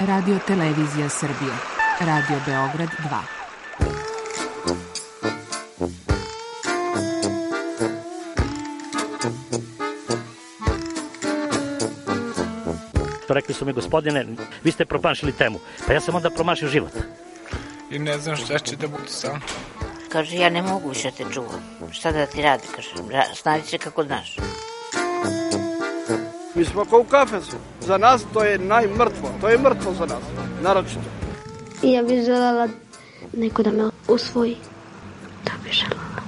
Radio Televizija Srbije. Radio Beograd 2. Rekli su mi, gospodine, vi ste promašili temu. Pa ja sam onda promašio život. I ne znam šta će da bude sam. Kaže, ja ne mogu više te čuvam. Šta da ti radi, kaže, snađi se kako znaš. Mi smo kao u kafesu. Za nas to je najmrtvo. To je mrtvo za nas, naročito. I ja bih želela neko da me usvoji. To bih želela.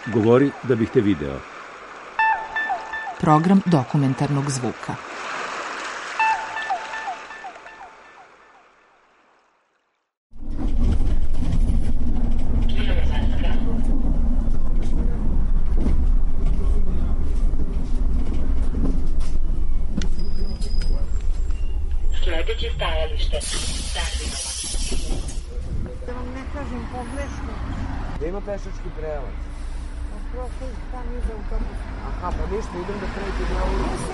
Govori da bih te video. Program dokumentarnog zvuka. Sljedeće stajalište. Da vam ne kažem pogrešno. Da ima pešački prelaz. Prosto tam iza autobusa. Aha, pa ništa, idem da pređem na ulicu.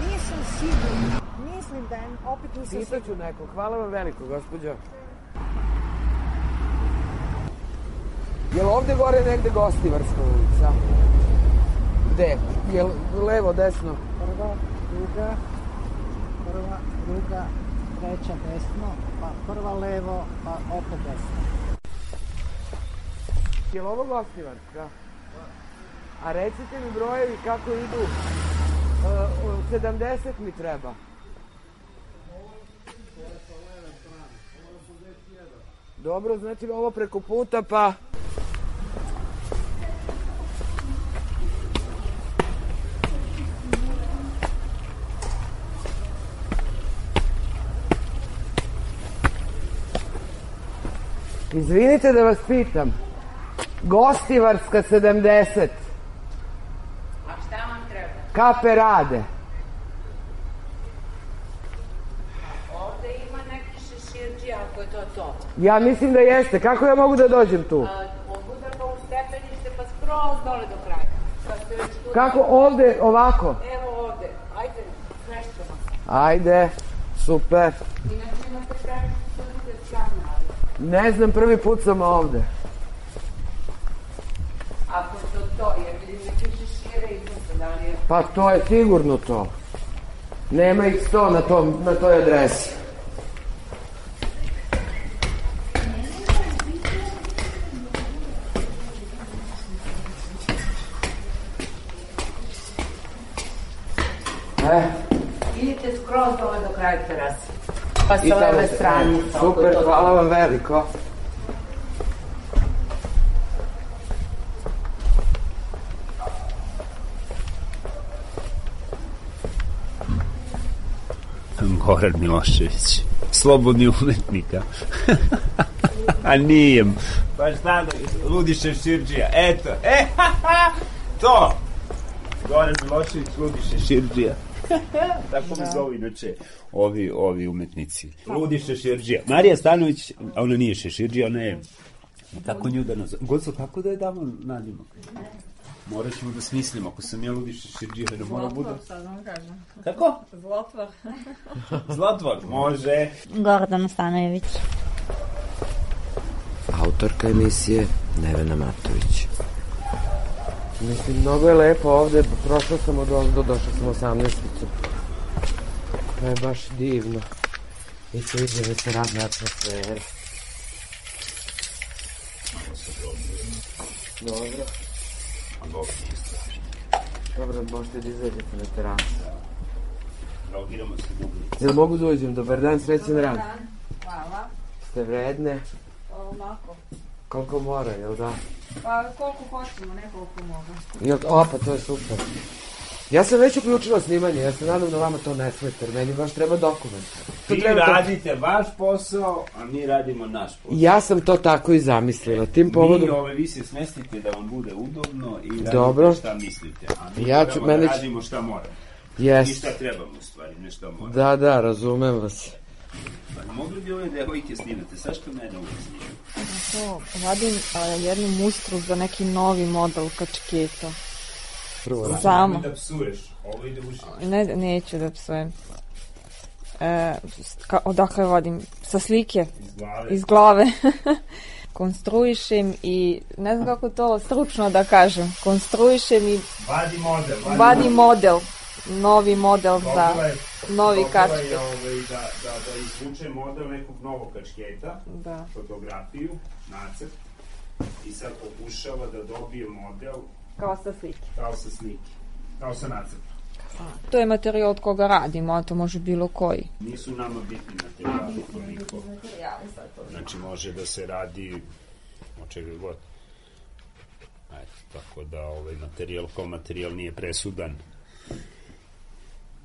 Nisam sigurna. Mislim da je, opet nisam sigurna. Pitaću nekog. Hvala vam veliko, gospođo. Je li ovde gore negde Gostivarska ulica? Gde? Je li levo, desno? Prva, druga, treća desno, pa prva levo, pa opet desno. Je li ovo Gostivarska? A recite mi brojevi kako idu. 70 mi treba. Dobro, znači ovo preko puta, pa... Izvinite da vas pitam. Gostivarska 70. A šta vam treba? Kape rade. Ovde ima neki šeširđi, ako je to. Ja mislim da jeste. Kako ja mogu da dođem tu? Mogu da pa u stepenište, pa skroz dole do kraja. Kako ovde, ovako? Evo ovde. Ajde, svešćemo se. Ajde, super. Inače imate praviti strane, ali... Ne znam, prvi put sam ovde. Ako to, jer vidim neke šešire i to, da li je... Pa to je sigurno to. Nema ih 100 na toj adresi. Idite skroz dole do kraja terase. Pa sa leve strane. Super, hvala vam veliko. Goran Milošević, slobodni umetnika. A nije. Pa šta da, ludi šeširđija, eto, to! Goran Milošević, ludi šeširđija. Tako mi zovu inače ovi umetnici. Ludi šeširđija. Marija Stanović, ona nije šeširđija, ona je... Kako nju da nazove? Goco, kako da je damo nadimak? Morat ćemo da smislimo, ako sam ja ludi šeširđija, da mora bude... Zlotvor, sad vam kažem. Kako? Zlotvor. Zlotvor, može. Gordana Stanojević. Autorka emisije Nevena Matović. Mislim, mnogo je lepo ovde, prošao sam od ovde, došao sam 18-icu. To je baš divno. I sviđa mi se radna atmosfera. Dobro. Dobro, možete da izađete na terasu. Jel mogu da uđem? Dobar dan, srećan rad. Dobar dan, hvala. Ste vredne? Onako. Koliko mora, jel da? Pa koliko hoćemo, ne koliko mogu. O, pa to je super. Ja sam već uključila snimanje, ja se nadam da vama to ne smeta, jer meni baš treba dokument. Vi radite vaš posao, a mi radimo naš posao. Ja sam to tako i zamislila. Tim povodom... Vi se smestite da vam bude udobno i radite dobro. Šta mislite, a mi moramo da radimo šta moramo. Yes. I šta trebamo u stvari, ne šta moramo. Da, razumem vas. Pa mogli bi ove devojke snimate, sad što mene uvijek snimaju? Vadim jednu mustru za neki novi model kačketa. Prvo Samo. Da psuješ, ovo ide u život. Ne, neću da psujem. Odakle vodim? Sa slike? Iz glave. Konstruišem i, ne znam kako to stručno da kažem, konstruišem i vadi model. Novi model za novi kačket. Da izvuče model nekog novog kačketa, fotografiju, nacrt, i sad pokušava da dobije model kao sa slike. Kao sa nacrtom. To je materijal od koga radimo, a to može bilo koji. Nisu nama bitni materijali toliko. Znači može da se radi o čega god. Tako da materijal kao materijal nije presudan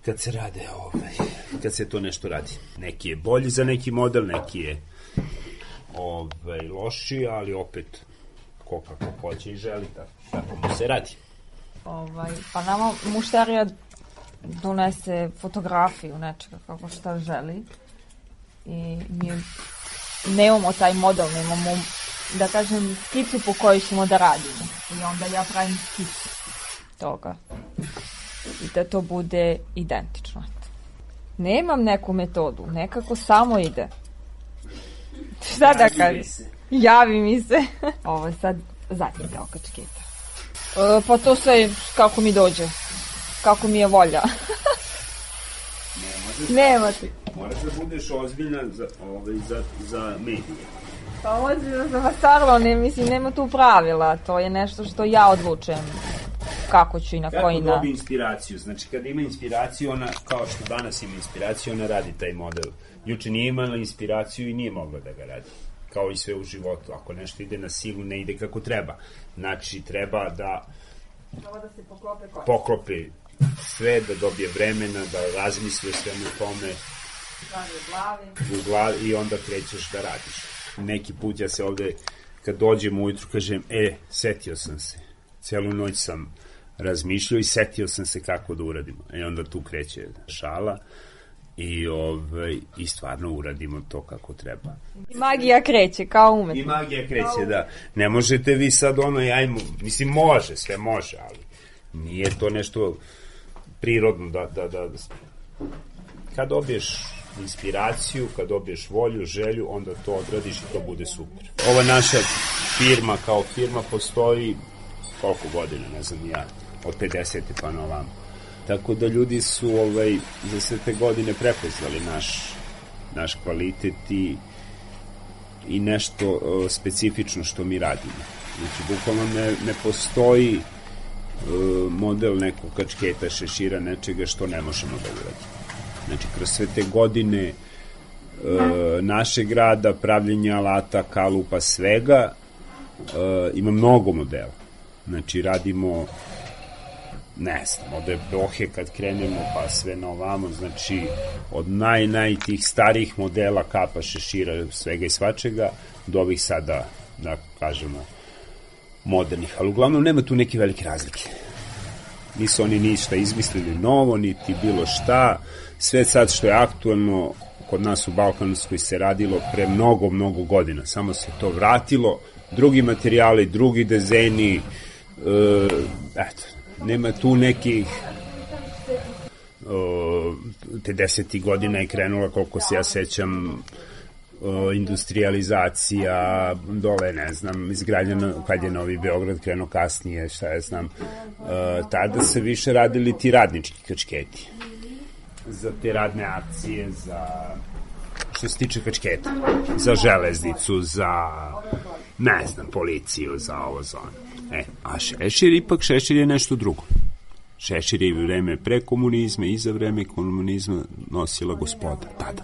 kad se rade kad se to nešto radi. Neki je bolji za neki model, neki je lošiji, ali opet ko kako hoće i želi, tako mu se radi. Pa nama mušterija donese fotografiju nečega kako šta želi i mi nemamo taj model, nemamo, da kažem, skicu po kojoj ćemo da radimo i onda ja pravim skicu toga i da to bude identično. Nemam neku metodu, nekako samo ide. Šta da kažem? Javi mi se. Ovo je sad zadnji deo kačketa. Pa to sve kako mi dođe. Kako mi je volja. Nema ti. Moraš da budeš ozbiljna za medije. Pa ozbiljno za vasarlo, nema tu pravila. To je nešto što ja odlučujem. Kako ću i na koji Kako dobi inspiraciju? Znači, kada ima inspiraciju, ona, kao što danas ima inspiraciju, ona radi taj model. Juče nije imala inspiraciju i nije mogla da ga radi. Kao i sve u životu. Ako nešto ide na silu, ne ide kako treba. Znači, treba da se poklope sve, da dobije vremena, da razmisli o svemu tome u glavi i onda krećeš da radiš. Neki put ja se ovde, kad dođem ujutru, kažem, setio sam se. Celu noć sam razmišljao i setio sam se kako da uradimo. I onda tu kreće šala i stvarno uradimo to kako treba. I magija kreće, kao umetno. I magija kreće, da. Ne možete vi sad mislim, može, sve može, ali nije to nešto prirodno da kad dobiješ inspiraciju, kad dobiješ volju, želju, onda to odradiš i to bude super. Ova naša firma kao firma postoji koliko godina, ne znam ja, od 50. pa na ovamo. Tako da ljudi su za sve te godine prepoznali naš kvalitet i nešto specifično što mi radimo. Znači, bukvalno ne postoji model nekog kačketa, šešira, nečega što ne možemo da uradimo. Znači, kroz sve te godine našeg rada, pravljenja alata, kalupa, svega, ima mnogo modela. Znači, radimo, ne znam, od epohe kad krenemo, pa sve na ovamo, znači, od naj tih starijih modela, kapa, šešira, svega i svačega, do ovih sada, da kažemo, modernih. Ali uglavnom nema tu neke velike razlike. Nisu oni ništa izmislili novo, niti bilo šta. Sve sad što je aktualno kod nas u Balkanskoj se radilo pre mnogo godina. Samo se to vratilo, drugi materijali, drugi dizajni, nema tu nekih 10. godina je krenula, koliko se ja sećam, industrializacija, dole, ne znam, izgradnja, kad je Novi Beograd krenuo kasnije, šta ja znam, tada se više radili ti radnički kačketi. Za te radne akcije, za što se tiče kačketa, za železnicu, za, ne znam, policiju, za ovo, za ono. A šešir je nešto drugo. Šešir je u vreme pre komunizma i za vreme komunizma nosila gospoda, tada.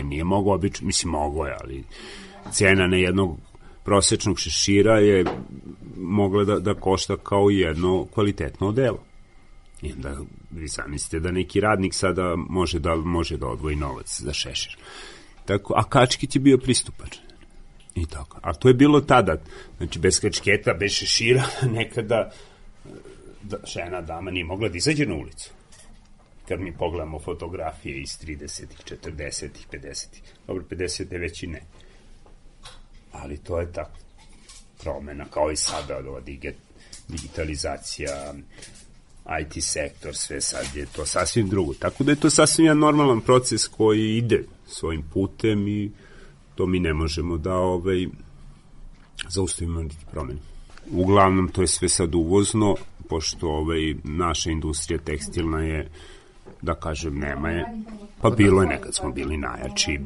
Nije mogao obično, mislim mogo je, ali cena na jednog prosečnog šešira je mogla da košta kao jedno kvalitetno odelo. I onda vi zamislite da neki radnik sada može da odvoji novac za šešir. Tako, a kačket je bio pristupačan. I tako. A to je bilo tada. Znači, bez kačketa, bez šešira, nekada žena, dama nije mogla da izađe na ulicu. Kad mi pogledamo fotografije iz 30-ih, 40-ih, 50-ih. Dobro, 50-te već i ne. Ali to je tako promena, kao i sada, digitalizacija, IT sektor, sve sad je to sasvim drugo. Tako da je to sasvim jedan normalan proces koji ide svojim putem i to mi ne možemo da zaustavimo niti promeni. Uglavnom, to je sve sad uvozno, pošto naša industrija tekstilna je, da kažem, nema je. Pa bilo je, nekad smo bili najjači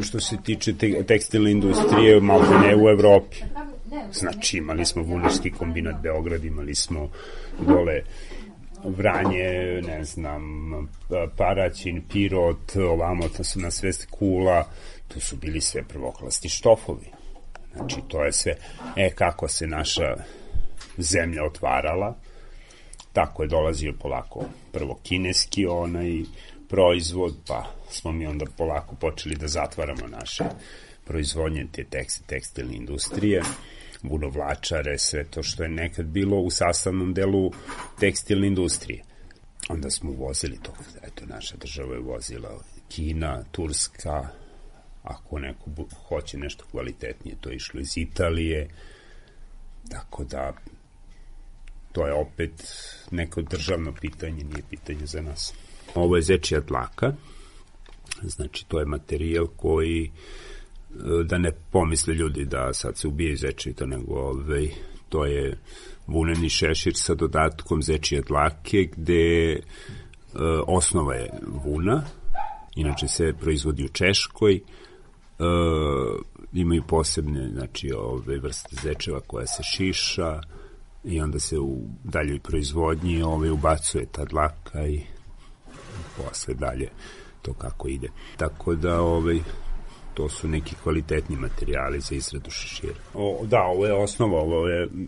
što se tiče tekstilne industrije, malo ne u Evropi. Znači, imali smo Vunarski kombinat Beograd, imali smo dole Vranje, ne znam, Paraćin, Pirot, ovamo na sve Kula, to su bili sve prvoklasni štofovi. Znači, to je sve, kako se naša zemlja otvarala, tako je dolazio polako prvo kineski proizvod, pa smo mi onda polako počeli da zatvaramo naše proizvodnje te tekstilne industrije, vunovlačare, sve to što je nekad bilo u sastavnom delu tekstilne industrije. Onda smo uvozili to, eto, naša država je uvozila Kina, Turska, ako neko hoće nešto kvalitetnije, to je išlo iz Italije, tako da to je opet neko državno pitanje, nije pitanje za nas. Ovo je zečija dlaka, znači to je materijal koji, da ne pomisle ljudi da sad se ubije zečito, nego to je vuneni šešir sa dodatkom zečije dlake, gde osnova je vuna, inače se proizvodi u Češkoj, imaju posebne, znači, vrste zečeva koja se šiša i onda se u daljoj proizvodnji ubacuje ta dlaka i posle dalje to kako ide. Tako da to su neki kvalitetni materijali za izradu šešira. Ovo je osnova,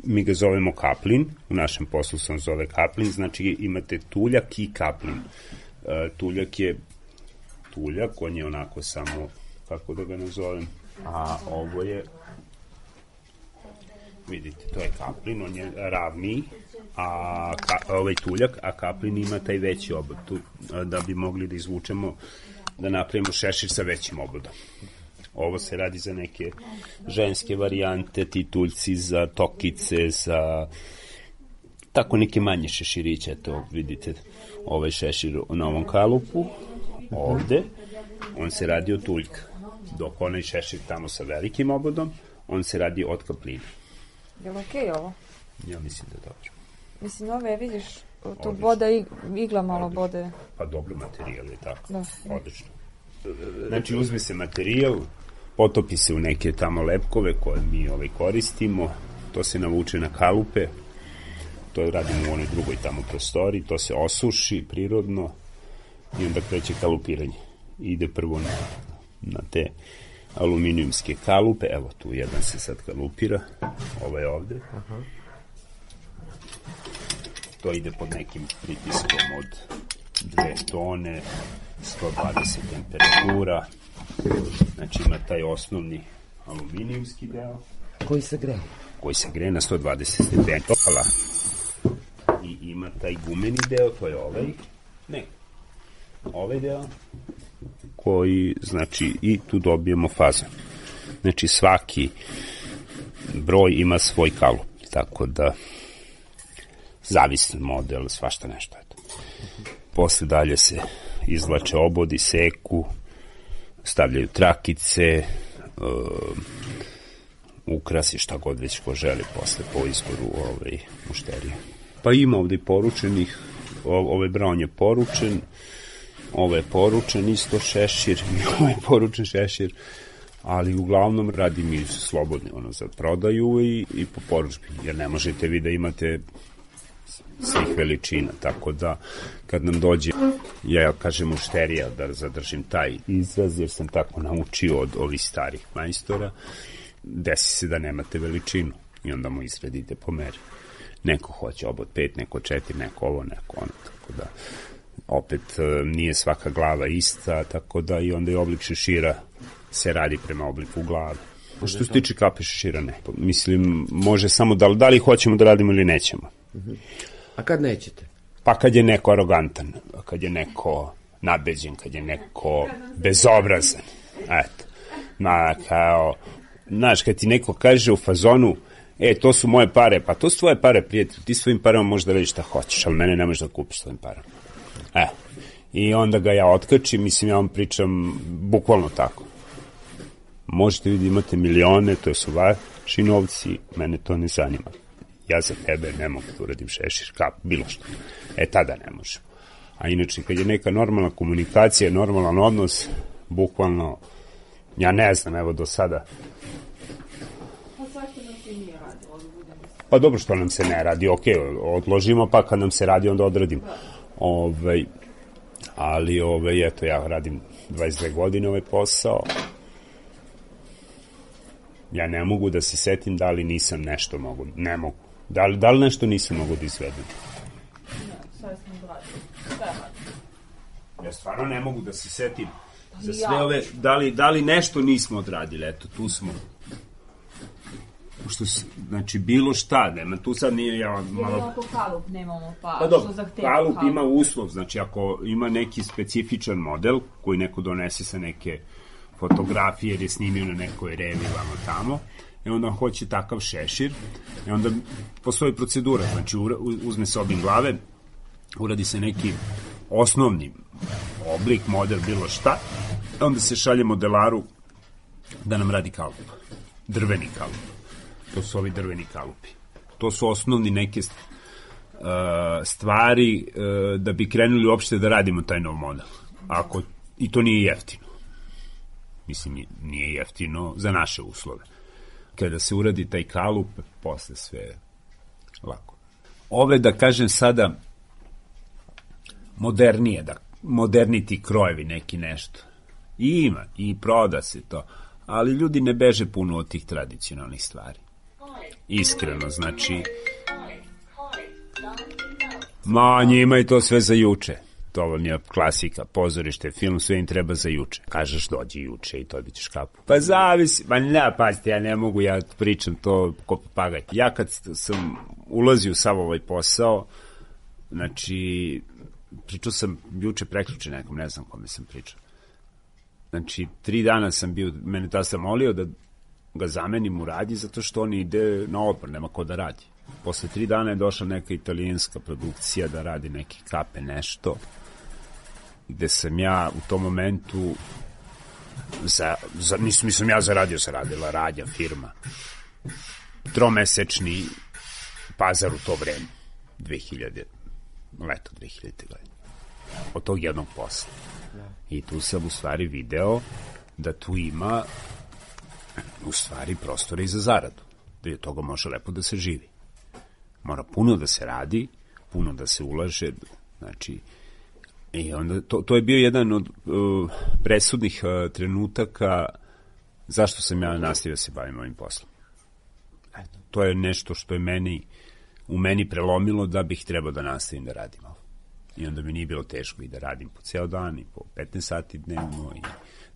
mi ga zovemo kaplin, u našem poslu sam zove kaplin, znači imate tuljak i kaplin. Tuljak je tuljak, on je onako samo, kako da ga nazovem, a ovo je, vidite, to je kaplin, on je ravniji, a ovaj tuljak, a kaplin ima taj veći obod, da bi mogli da izvučemo, da napravimo šešir sa većim obodom. Ovo se radi za neke ženske varijante, ti tuljci za tokice, za tako neke manje šeširiće, to vidite, ovaj šešir na ovom kalupu, ovde, on se radi od tuljka, dok onaj šešir tamo sa velikim obodom, on se radi od kaplina. Je li okej ovo? Ja mislim da je dobro. Mislim, ove, vidiš, tu boda igla malo bode. Pa dobro, materijal je tako, da. Odlično. Znači, uzme se materijal, potopi se u neke tamo lepkove koje mi koristimo, to se navuče na kalupe, to radimo u onoj drugoj tamo prostori, to se osuši prirodno i onda kreće kalupiranje. Ide prvo na te aluminijumske kalupe, evo tu jedan se sad kalupira, ovaj ovde. To ide pod nekim pritiskom od 2 tone, 120 temperatura, znači ima taj osnovni aluminijumski deo. Koji se greje? Koji se greje na 120 stepeni. I ima taj gumeni deo, to je ovaj deo, koji, znači, i tu dobijemo fazan. Znači, svaki broj ima svoj kalup, tako da zavisan model, svašta nešto. Posle dalje se izvlače obodi, seku, stavljaju trakice, ukrasi, šta god već ko želi posle po izboru mušterije. Pa ima ovde poručenih, ovaj braun je poručen, ovo je poručen isto šešir, ovo je poručen šešir, ali uglavnom radim i slobodne za prodaju i po poručbi, jer ne možete vi da imate svih veličina, tako da kad nam dođe, ja kažem mušterija, da zadržim taj izraz, jer sam tako naučio od ovih starih majstora, desi se da nemate veličinu i onda mu izradite po meri. Neko hoće obod 5, neko 4, neko ovo, neko ono, tako da opet nije svaka glava ista, tako da i onda i oblik šešira se radi prema obliku glave. Što se tiče kape šešira, ne. Mislim, može samo da li hoćemo da radimo ili nećemo. A kad nećete? Pa kad je neko arogantan, kad je neko nabeđen, kad je neko bezobrazan. Eto. Kao, znaš, kad ti neko kaže u fazonu, to su moje pare, pa to su tvoje pare, prijatelj, ti svojim parama možeš da radiš šta hoćeš, ali mene ne možeš da kupiš svojim parama. I onda ga ja otkačim, mislim, ja vam pričam bukvalno tako. Možete vi da imate milione, to su vaši novci, mene to ne zanima. Ja za tebe ne mogu da uradim šešir, bilo što. Tada ne možemo. A inače, kad je neka normalna komunikacija, normalan odnos, bukvalno, ja ne znam, evo do sada. Pa dobro, što nam se ne radi, odložimo, pa kad nam se radi, onda odradimo. Ali, eto, ja radim 22 godine ovaj posao. Ja ne mogu da se setim da li nisam nešto mogu, ne mogu. Da li nešto nisam mogu da izvedem? Ja stvarno ne mogu da se setim za sve ove, da li nešto nismo odradili, eto, tu smo. Znači, bilo šta, nema, tu sad nije ja malo... Jedno ako kalup nemamo, pa dobro, kalup ima uslov, znači ako ima neki specifičan model koji neko donese sa neke fotografije jer je snimio na nekoj revi vamo tamo, i onda hoće takav šešir, i onda postoji procedura, znači uzme se obim glave, uradi se neki osnovni oblik, model, bilo šta, onda se šalje modelaru da nam radi kalup, drveni kalup. To su ovi drveni kalupi. To su osnovni neke stvari da bi krenuli uopšte da radimo taj nov model. I to nije jeftino. Mislim, nije jeftino za naše uslove. Kada se uradi taj kalup, posle sve lako. Ove, da kažem sada, modernije, moderniti krojevi neki nešto. I ima, i proda se to. Ali ljudi ne beže puno od tih tradicionalnih stvari. Iskreno, znači... njima je to sve za juče. To vam je klasika, pozorište, film, sve im treba za juče. Kažeš, dođi juče i dobićeš kapu. Pa zavisi, pazite, ja ne mogu, ja pričam to ko papagaj. Ja kad sam ulazio u sav ovaj posao, znači, pričao sam juče prekjuče nekom, ne znam kome sam pričao. Znači, 3 dana sam bio, mene tada sam molio da ga zamenim u radnji, zato što on ide na odmor, nema ko da radi. Posle 3 dana je došla neka italijanska produkcija da radi neke kape, nešto, gde sam ja u tom momentu, nisam ja zaradio, se radila radnja, firma, 3-mesečni Pazar u to vreme, leto 2000. godine, od tog jednog posla. I tu sam u stvari video da tu ima u stvari prostora i za zaradu, da je toga može lepo da se živi. Mora puno da se radi, puno da se ulaže, znači, i onda to je bio jedan od presudnih trenutaka zašto sam ja nastavio da se bavim ovim poslom. Eto, to je nešto što je u meni prelomilo da bih trebao da nastavim da radim ovo. I onda mi nije bilo teško i da radim po ceo dan i po 15 sati dnevno i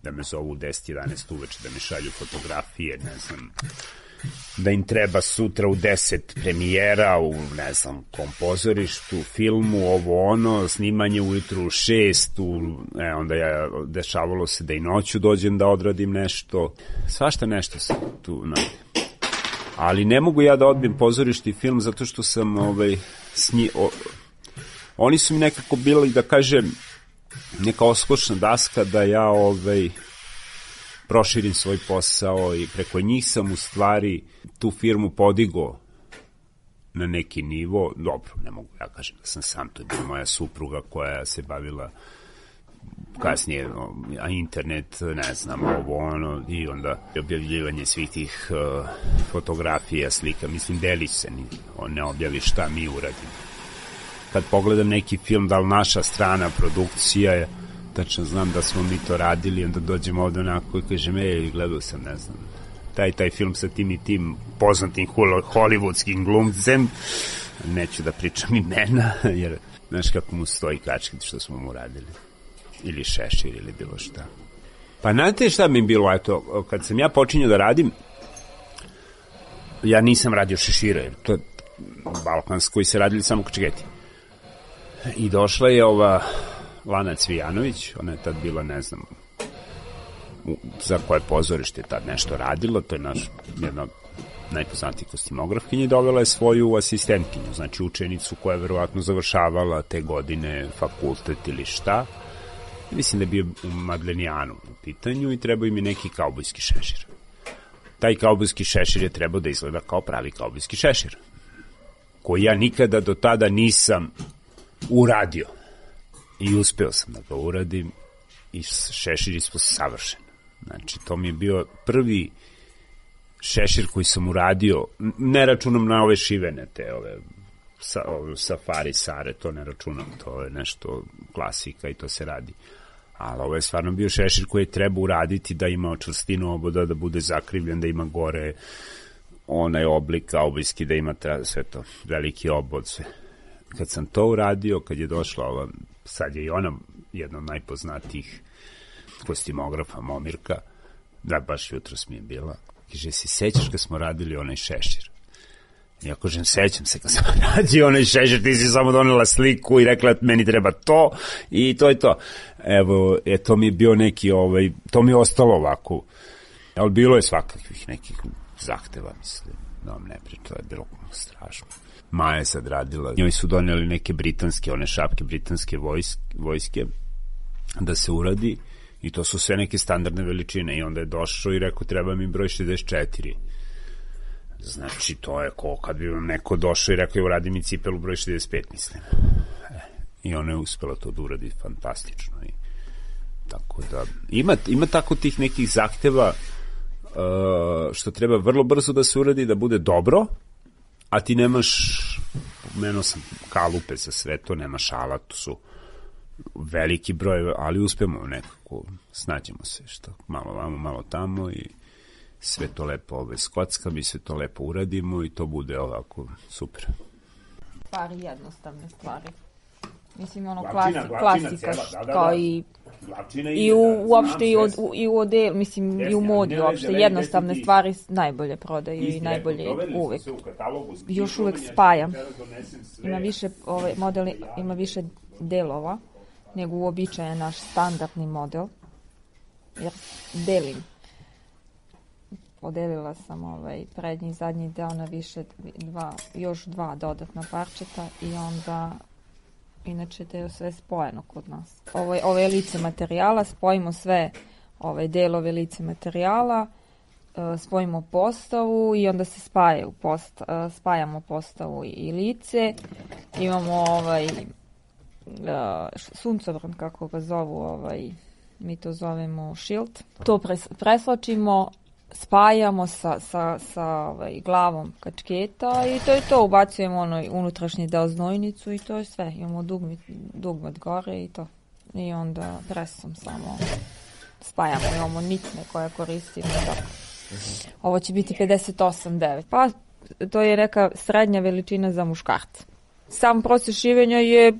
da me zovu u 10-11 uveče, da mi šalju fotografije, ne znam, da im treba sutra u 10 premijera u, ne znam, kompozorištu, filmu, ovo ono, snimanje ujutru u 6, onda dešavalo se da i noću dođem da odradim nešto, svašta nešto se tu nade. Ali ne mogu ja da odbijem pozorište i film zato što sam oni su mi nekako bili, da kažem, neka oskočna daska da ja proširim svoj posao i preko njih sam u stvari tu firmu podigao na neki nivo. Dobro, ne mogu ja kažem da sam sam, to je bila moja supruga koja se bavila kasnije internet, ne znam, ovo ono, i onda objavljivanje svih tih fotografija, slika, mislim, delić se, ne objavi šta mi uradimo. Kad pogledam neki film, da li naša strana produkcija je, tačno znam da smo mi to radili, onda dođem ovde onako i kažem, gledao sam, ne znam, taj film sa tim i tim poznatim hollywoodskim glumcem, neću da pričam imena, jer znaš kako mu stoji kačket što smo mu radili, ili šešir, ili bilo šta. Pa znate šta mi je bilo, eto, kad sam ja počinio da radim, ja nisam radio šešira, jer to je balkansko koji se radili samo kačketi. I došla je ova Lana Cvijanović, ona je tad bila, ne znam, za koje pozorište je tad nešto radila, to je jedna najpoznatiji kostimografkinji, dovela je svoju asistentkinju, znači učenicu koja je verovatno završavala te godine fakultet ili šta. Mislim da je bio u Madlenijanu u pitanju i trebao im je neki kaubojski šešir. Taj kaubojski šešir je trebao da izgleda kao pravi kaubojski šešir, koji ja nikada do tada nisam uradio. I uspeo sam da ga uradim i šešir ispod savršen. Znači, to mi je bio prvi šešir koji sam uradio, ne računam na ove šivene, te ove safari sare, to ne računam, to je nešto klasika i to se radi. Ali ovo je stvarno bio šešir koji je treba uraditi da ima čvrstinu oboda, da bude zakrivljen, da ima gore onaj oblik kaubojski, da ima sve to, veliki obod, sve. Kad sam to uradio, kad je došla ova, sad je i ona jedna od najpoznatijih kostimografa, Momirka, da baš jutros mi je bila, kaže, se sećaš kad smo radili onaj šešir? Ja kažem, sećam se kad sam radio onaj šešir, ti si samo donela sliku i rekla meni treba to i to je to. Evo, to mi je bio neki, to mi je ostalo ovako, ali bilo je svakakvih nekih zahteva, mislim, da vam ne pričam, to je bilo strašno. Maja je sad radila, njoj su doneli neke britanske, one šapke britanske vojske da se uradi i to su sve neke standardne veličine i onda je došao i rekao treba mi broj 64. Znači to je ko kad bi vam neko došao i rekao uradi mi cipelu broj 65, mislim. I ona je uspela to da uradi fantastično i tako da ima tako tih nekih zahteva što treba vrlo brzo da se uradi, da bude dobro, a ti nemaš, pomenuo sam kalupe za sve to, nemaš alat, to su veliki broj, ali uspemo nekako, snađemo se, što malo vamo, malo tamo i sve to lepo skockam i sve to lepo uradimo i to bude ovako super. Stvari, jednostavne stvari. Mislim, ono klasika, kao i uopšte i u odelu, mislim, i u modi uopšte, jednostavne stvari najbolje prodaju i najbolje uvek. Još uvek spajam. Ima više, model ima više delova nego uobičajen naš standardni model, jer delim. Podelila sam prednji i zadnji deo na više još dva dodatna parčeta i onda inače to je sve spojeno kod nas. Ove lice materijala, spojimo sve delove lice materijala, spojimo postavu i onda se spajamo postavu i lice. Imamo suncobran, kako ga zovu, mi to zovemo shield. To presločimo, spajamo sa glavom kačketa i to je to, ubacujemo unutrašnji deo znojnicu i to je sve. Imamo dugmet gore i to. I onda presom samo spajamo, imamo nitne koje koristimo. Ovo će biti 58,9. Pa to je neka srednja veličina za muškarca. Sam proces šivenja je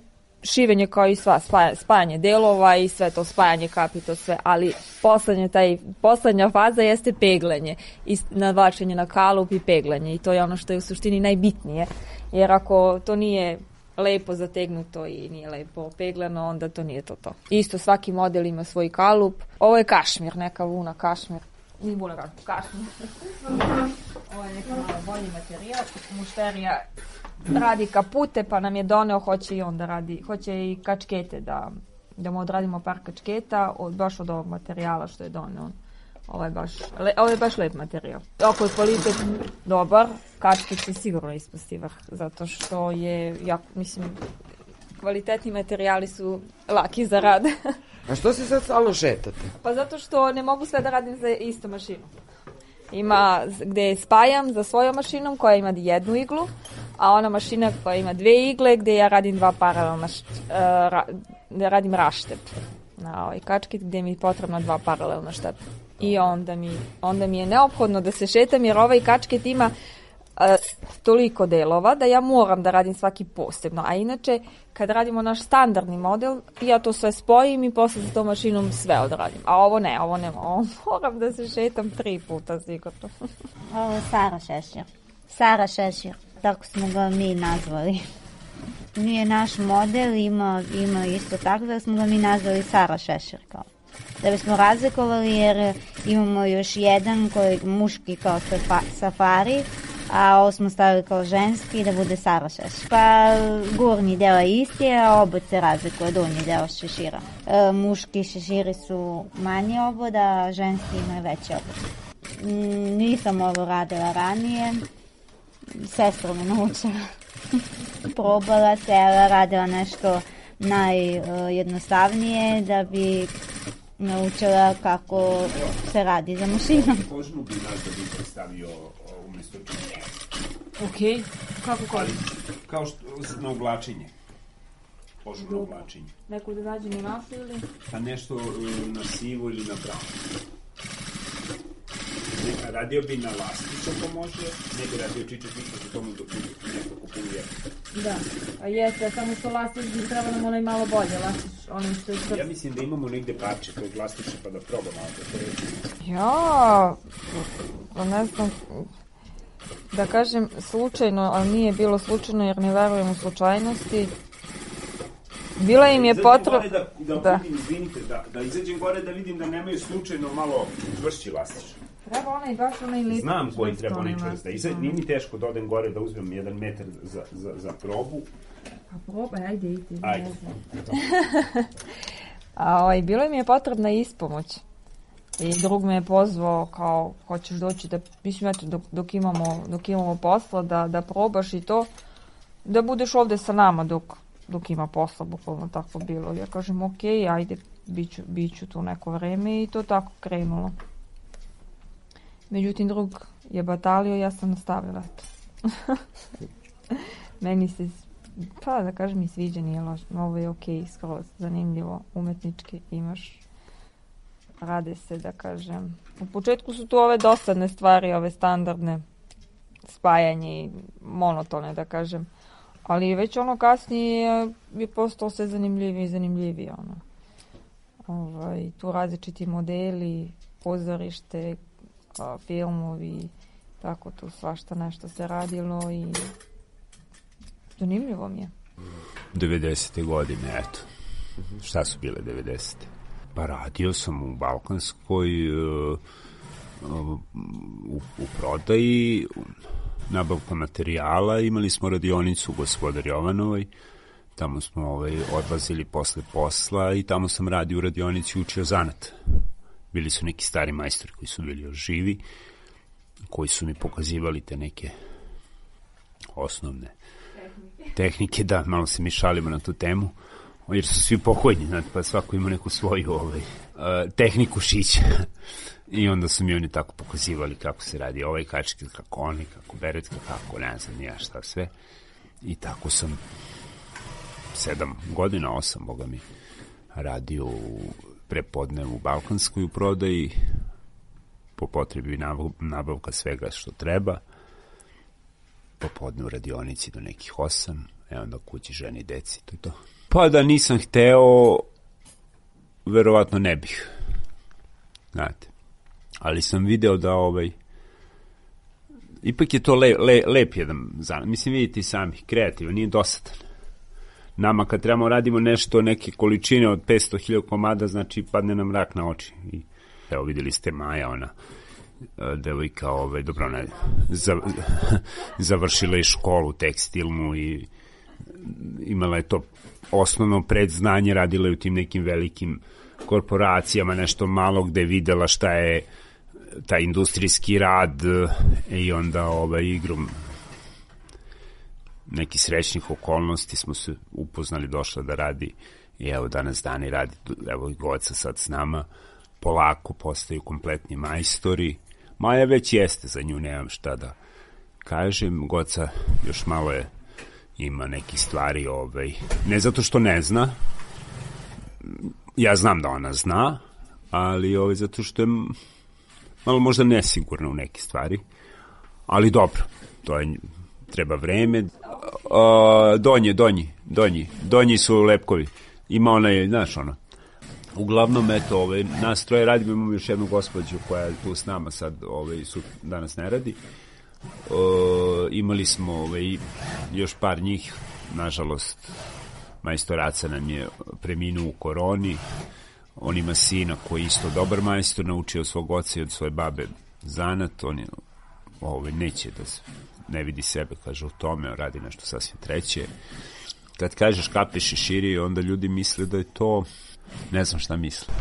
šivenje kao i sva, spajanje delova i sve to, spajanje kapi, to sve, ali poslednja faza jeste peglanje i navlačenje na kalup i peglanje i to je ono što je u suštini najbitnije, jer ako to nije lepo zategnuto i nije lepo peglano, onda to nije to. Isto svaki model ima svoj kalup. Ovo je kašmir, neka vuna kašmir. Nije vuna kašmir. Ovo je neka malo bolji materijal. Mušterija radi kapute, pa nam je doneo, hoće i on da radi, hoće i kačkete, da mu odradimo par kačketa, baš od ovog materijala što je doneo. Ovo je baš lep materijal. Ako je kvalitet dobar, kačket će sigurno ispasti vrh, zato što je, kvalitetni materijali su laki za rad. A što se sad stalno šetate? Pa zato što ne mogu sve da radim za istu mašinu. Ima gde spajam za svojom mašinom koja ima jednu iglu, a ona mašina koja ima dve igle gde ja radim dva paralelna, da radim raštep na ovaj kačket gde mi je potrebno dva paralelna štepa. I onda mi je neophodno da se šetam jer ovaj kačket ima toliko delova da ja moram da radim svaki posebno, a inače kad radimo naš standardni model ja to sve spojim i posle za tom mašinom sve odradim, a ovo moram da se šetam 3 puta sigurno. Ovo je Sara Šešir, tako smo ga mi nazvali. Nije naš model, ima isto tako da smo ga mi nazvali Sara Šešir kao. da bismo razlikovali, jer imamo još jedan koji muški kao safari, a ovo smo stavili kao ženski da bude Sara šešir. Pa gornji deo je isti, a obod se razlikuje, donji deo šešira. Muški šeširi su manji obod, a ženski imaju veći obod. Nisam ovo radila ranije, sestra me naučila. Probala se, radila nešto najjednostavnije da bi naučila kako se radi za mašinom. Kožnu bi nas da bi predstavio umjesto činjenja. Ok, kako kožnu? Kao što na oblačenje. Kožu na oblačenje. Neko da rađemo našu ili? Pa nešto na sivu ili na bravo. Radio bi na lastić ako može, ne bi radio čičak što tomu neko kupuje. Da, a jeste, samo što lastić bi treba nam onaj malo bolje, lastić, onaj što je Ja mislim da imamo negde parče tog lastića pa da probam malo to reći. Ja, ne znam, da kažem slučajno, ali nije bilo slučajno jer ne verujem u slučajnosti. Bila im je potreba... Da vidim, izvinite, da izađem gore da vidim da nemaju slučajno malo čvršći lastić. Treba onaj, baš onaj lipić. Znam koji treba onaj čvrst. Nije mi teško da odem gore da uzmem 1 metar za probu. Pa probaj, ajde, idi. Ajde. A bilo im je potrebna ispomoć. I drug me je pozvao kao, hoćeš doći da, mislim, eto, dok imamo posla, da probaš i to, da budeš ovde sa nama dok ima posla, bukvalno tako bilo. Ja kažem, ok, ajde, bit ću tu neko vreme i to tako krenulo. Međutim, drug je batalio, ja sam nastavila. Meni se, pa da kažem, i sviđa, nije lošno. Ovo je ok, skroz zanimljivo, umetnički imaš, rade se, da kažem. U početku su tu ove dosadne stvari, ove standardne, spajanje i monotone, da kažem. Ali već ono kasnije je postao sve zanimljivije i zanimljivije. Tu različiti modeli, pozorište, filmovi, tako tu svašta nešto se radilo i zanimljivo mi je. 90. godine, eto. Šta su bile 90. Pa radio sam u Balkanskoj, u prodaji, nabavka materijala, imali smo radionicu u Gospodar Jovanovoj, tamo smo odlazili posle posla i tamo sam radio u radionici i učio zanat. Bili su neki stari majstori koji su bili još živi, koji su mi pokazivali te neke osnovne tehnike, da, malo se mi šalimo na tu temu, jer su svi pokojni, znači, pa svako ima neku svoju tehniku šića. I onda su mi oni tako pokazivali kako se radi ovaj kačket, kako oni, kako beretka, kako ne znam nija šta sve. I tako sam 7 godina, 8, boga mi, radio u prepodnevu u Balkanskoj u prodaji, po potrebi nabavka svega što treba, popodne u radionici do nekih 8, onda kući, ženi, deci, to je to. Pa da nisam hteo, verovatno ne bih, znate. Ali sam video da ipak je to lep jedan zanat. Mislim, vidite i sami, kreativan, nije dosadan. Nama kad trebamo radimo nešto, neke količine od 500.000 komada, znači padne nam mrak na oči. I, evo, vidjeli ste Maja, ona devojka, dobro, ona je završila i školu tekstilnu i imala je to osnovno predznanje, radila je u tim nekim velikim korporacijama, nešto malo gde je videla šta je taj industrijski rad i onda igrom nekih srećnih okolnosti smo se upoznali, došla da radi i evo danas dani radi, evo Goca sad s nama, polako postaju kompletni majstori. Maja već jeste, za nju nemam šta da kažem, Goca još malo ima neki stvari, ne zato što ne zna, ja znam da ona zna, ali zato što je malo možda nesigurna u neke stvari, ali dobro, to je, treba vreme. Donji su lepkovi, ima onaj, znaš ono, uglavnom, eto, nas troje radimo, imamo još jednu gospođu koja je tu s nama sad, danas ne radi. Imali smo još par njih, nažalost majstoraca nam je preminuo u koroni, On ima sina koji je isto dobar majstor, naučio od svog oca i od svoje babe zanat, on je neće da ne vidi sebe, kaže, u tome, radi nešto sasvim treće. Kad kažeš kape šeširi, onda ljudi misle da je to, ne znam šta misle.